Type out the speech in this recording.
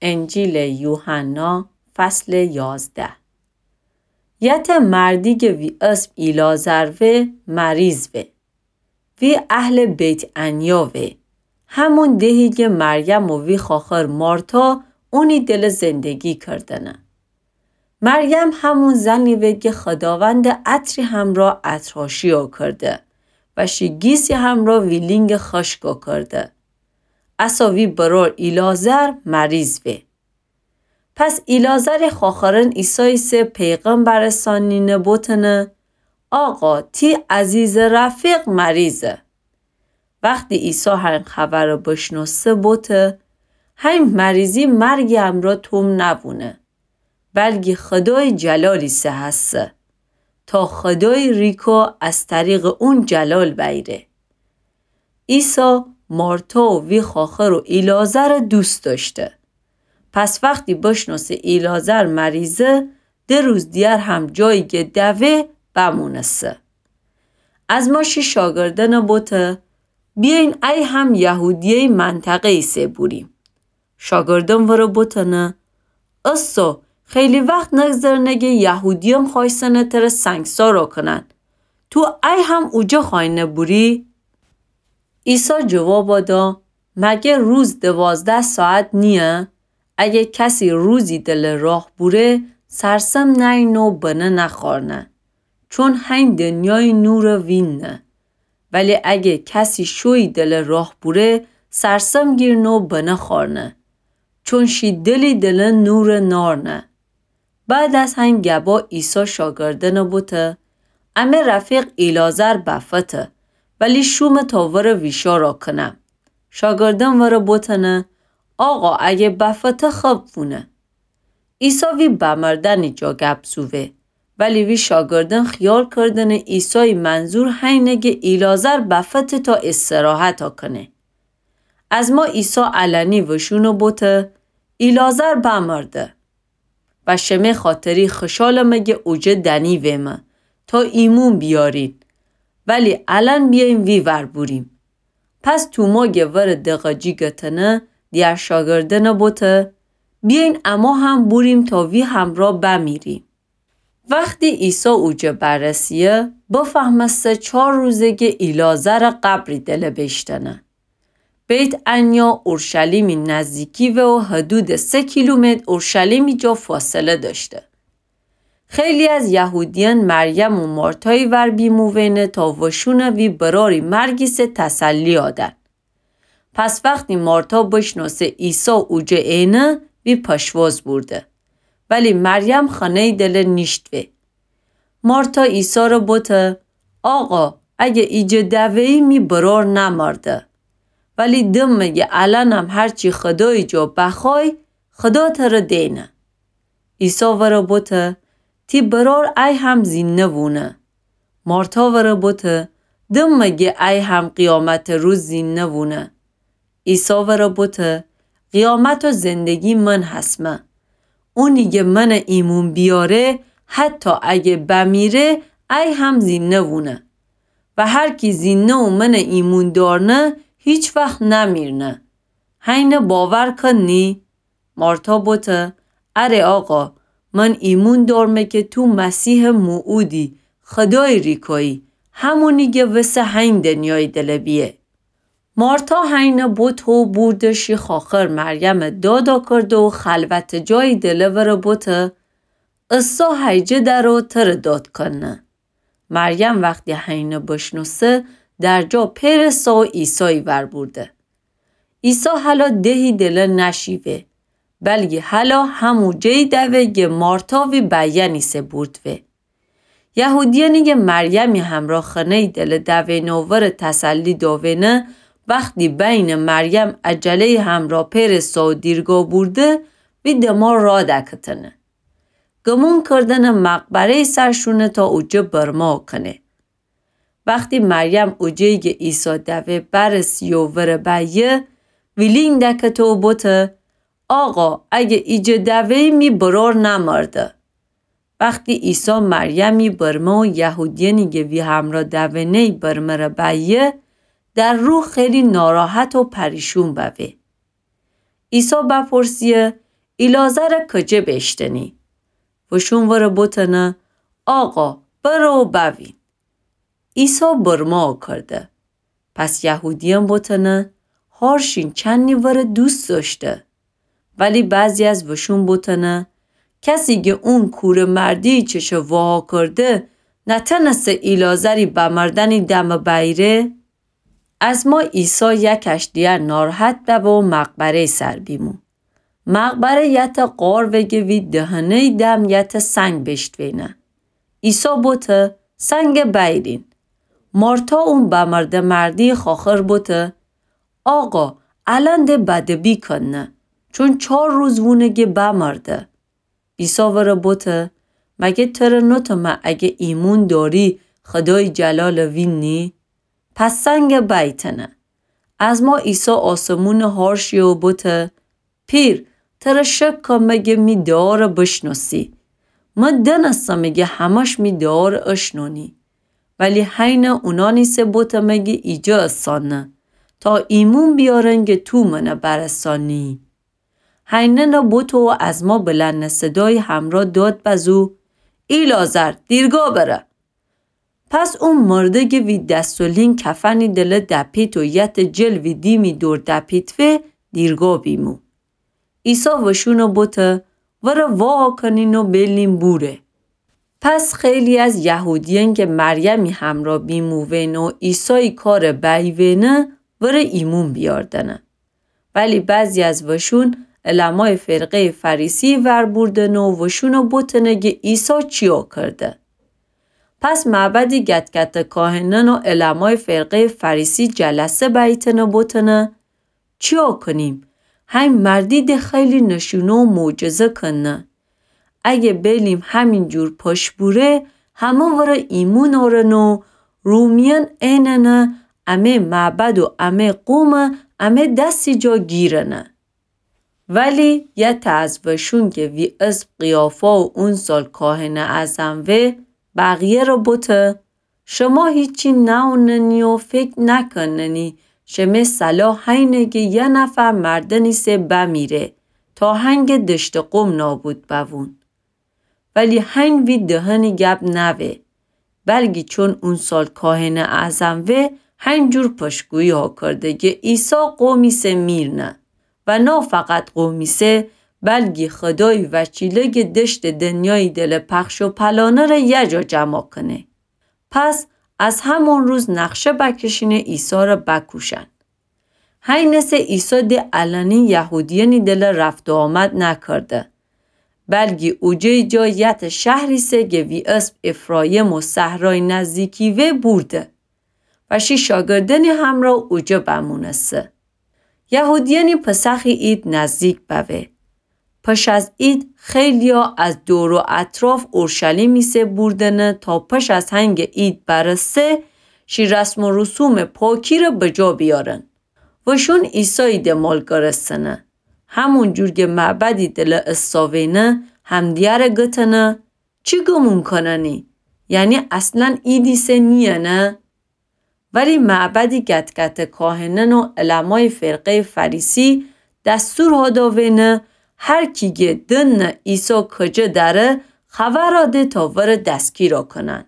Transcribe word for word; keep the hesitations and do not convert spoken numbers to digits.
انجیلٚ یوحنا، فصلٚ یازده. یته مردیگٚ وی اسم ایلعازر وه، مریض وه. وی اهلٚ بیت‌عنیا وه. همون دهی گه مریم و وی خواخر مارتا اونی دله زندگی کردنه. مریم همون زنی وه گه خوداوندٚ عطری همرا عطرهاشیا کرده و شی گیسی همرا ویلینگٚ خشکا کرده. اسا وی برار ایلعازر مریض وه. پس ایلعازرٚ خواخرأن عیساییسه پیغام برسانینه بوتنه: آقا، تی عزیزٚ رفیق مریضه. وختی عیسی هین خبرٚ بشنوسه بوته: هین مریضی مرگٚ امرأ توم نبونه، بلکی خودایٚ جلالیسه هسه، تا خودایٚ ریکا از طریقٚ اون جلال بیره. عیسی مارتا و وی خواخر و ایلعازر دوست داشته. پس وختی بشنوسه ایلعازر مریضه، ده روز دیگر هم جایی گه دوه بمونسه. از ما شی شاگردأن بوته: بیاین ای هم یهودیه‌یٚ منطقه‌ییسه بوریم. شاگردأن وره بوتنه: استو، خیلی وخت نگذرنه گه یهودیأن خوایسنه تره سنگسارا کنن. تو ای هم اوجه خوأینه بوری؟ عیسی جوابا دا: مگر روز دوازده ساعت نییه؟ اگه کسی روزی دله راه بوره، سرسم نأیینه و بنه نخوأرنه، چون هین دنیایٚ نورٚ وینه. ولی اگه کسی شویی دله راه بوره، سرسم گیرنه و بنه خوأرنه، چون شی دلی دله نورٚ نأرنه. بعد از هین گبا عیسی شاگردأن بوته: امه رفیق ایلعازر بفته، ولی شومه تا وره ویشارا کنم. شاگردأن وره بوتنه: آقا، اگه بفته خب وونه. عیسی وی بمردنٚ جا گب زووه، ولی وی شاگردأن خیال کردنه عیسایٚ منظور هینه گه ایلعازر بفته تا استراحتا کنه. از ما عیسی علنی وشونه بوته: ایلعازر بمرده. و شمه خاطری خوشالمه گه اوجه دنیویمه تا ایمون بیارین، ولی الأن بیاین وی ور بوریم. پس توما گه وره دقه جیگتنه، دیگر شاگردأن بوته: بیاین اما هم بوریم تا وی همرا بمیریم. وختی عیسی اوجه برسیه، بفهمسته چار روزه گه ایلعازرٚ قبری دله بیشتنه. بیت‌عنیا اورشلیمی نزدیکی وه و حدودٚ سه کیلومتر اورشلیمی جا فاصله دأشته. خیلی از یهودیأن مریم و مارتایٚ ور بیموینه تا وشونه وی براری مرگیسه تسلیا دن. پس وختی مارتا بشنوسه عیسی اوجه اینه، وی پشواز بورده. ولی مریم خانه‌یٚ دله نیشتوه. مارتا عیسی ره بوته: آقا، اگه ایجه دوه‌یی می برار نمرده. ولی دمه گه الأنم هرچی خودایٚ جا بخوای، خودا تره دینه. عیسی وره بوته: تی برار ای هم زینده وونه. مارتا وره بوته: دمه گه ای هم قیامتٚ روز زینده وونه. عیسی وره بوته: قیامت و زندگی من هسمه. اونی گه منه ایمون بیاره، حتی اگه بمیره، ای هم زینده وونه. و هر کی زینده و منه ایمون دارنه، هیچ وخت نمیرنه. هینه باور کنی؟ مارتا بوته: اره آقا، من ایمون دارمه که تو مسیحٚ موعودی، خودایٚ ریکایی، همونی گه وسه هین دنیایٚ دله بیه. مارتا هینه بوته و بورده شی خواخر مریمه دادا کرده و خلوتٚ جایٚ دله وره بوته: عیسی هیجه دره و تره داد کنه. مریم وختی هینه بشنوسه، در جا پئرسه و عیسایٚ ور بورده. عیسی هلا دهی دله نشیوه، بلکی هلا همو جایی دوه گه مارتا وی بیأنیسه بوردوه. یهودیأنی گه مریمی همرا خانه‌یٚ دله دوینه و وره تسلی داوینه، وختی بینه مریم عجله‌یٚ همرا پئرسه و دیرگا بورده، وی دمار را دکتنه. گمون کردنه مقبره‌یٚ سر شونه تا اوجه برمه کنه. وختی مریم اوجه‌یی گه عیسی دوه برسیه و وره بیه، ویلینگ دکته و بوته: آقا، اگه ایجه دوه‌یی می برار نمرده. وختی عیسی مریمی برمه و یهودیأنی گه وی همرا دوینه‌یی برمه ره بیه، در روح خیلی ناراحت و پریشون بوه. عیسی بپرسیه: ایلعازرَ کجه بیشتنی؟ وشون ورَ بوتنه، آقا، برو بوین. عیسی برمه کرده. پس یهودیأن بوتنه، هارشین چنی ورَ دوست داشته. ولی بعضی از وشون بوتنه، کسی گه اون کوره مردی چشه واها کرده، نتنسه ایلعازری بمردنی دمه بأیره؟ از ما عیسی یکش دیگر ناراحت ببه و مقبره‌ی سر بیمو. مقبره یته غار وگه وی دهنه‌ی دم یته سنگ بیشتوینه. عیسی بوته، سنگه بأیرین. مارتا اون بمرده مردی خواخر بوته، آقا، الأن ده بدبی کنه، چون چار روز وونه گه بمرده. عیسی ورَ بوته، مگه تره نوتمه اگه ایمون داری خودای جلالَ وینی؟ پس سنگه بأیتنه. از ما عیسی آسمونَ هارشی و بوته، پیر، تره شک کمه گه می دعارَ بشنوسی. مه دنسمه گه همه‌ش می دعارَ اشنونی. ولی هینه اونانیسه بوتمه گه ایجه اسانه، تا ایمون بیارن گه تو منَ برسانی. هینه نه بوته و از ما بلند صدای همرا داد بزو، ایلعازر، دیرگا بره. پس او مرده گه وی دس و لین کفنی دله دپیت و یته جلوی دیمی دور دپیتوه دیرگا بیمو. عیسی وشونَ بوته، ورَ واکنین و بیلین بوره. پس خیلی از یهودیأن گه مریمی همرا بیمووین و عیسای کارَ بأیوینه، ورَ ایمون بیاردنه. ولی بعضی از وشون علمای فرقه‌ی فریسی ور بوردنه و وشونَ بوتنه گه عیسی چیا کرده. پس معبدی گتگته کاهنأن و علمای فرقه‌ی فریسی جلسه بأیتنه بوتنه، چیا کنیم؟ هین مردی ده خیلی نشونه و معجزه کنه. اگه بیلیم همین جور پشت بوره، همه ورَ ایمون آرن و رومیأن ایننه امه معبد و امه قومَ امه دسی جا گیرنه. ولی یته از وشون که وی اسم قیافا و اون سال کاهنٚ اعظم وه، بقیه ره بوته: شما هیچی نأوننی و فکر نکننی شمه صلاح هینه که یه نفر مردنیسه بمیره تا هنگه دشتٚ قوم نابود بوون. ولی هین وی دهنی گب نوه، بلکی چون اون سال کاهنٚ اعظم وه، هین جور پشتگویی‌ها کرده که عیسی قومیسه میرنه و نه فقط قومیسه، بلکی خودای وکیله که دشتٚ دنیایی دله پخش و پلانه ره یه جا جمع کنه. پس از همون روز نقشه بکشینه عیسی ره بکوشن. هینسه عیسی ده علنی یهودیأنی دله رفت و آمد نکرده، بلکی اوجه جا یته شهریسه که وی اسم افرایم و صحرای نزدیکی وه بورده و شی شاگردأنی همرا اوجه بمونسه. یهودیأنی پسخی عید نزدیک بوه. پش از عید خیلیا از دور و اطراف اورشلیمیسه بوردنه تا پش از هنگٚ عید برسه، شی رسم و رسومٚ پاکی ره بجا بیارن. وشون عیسایی دمال گرستنه. همون جور که معبدی دله استاوینه، همدیگره گتنه: چی گمون کننی؟ یعنی اصلاً عیدیسه نییه نه؟ ولی معبدی گتگته کاهنأن و علمای فرقه‌ی فریسی دستور هاداوینه هر کی گه دننه عیسی کجه دأره، خبرا ده تا وره دستگیرا کنن.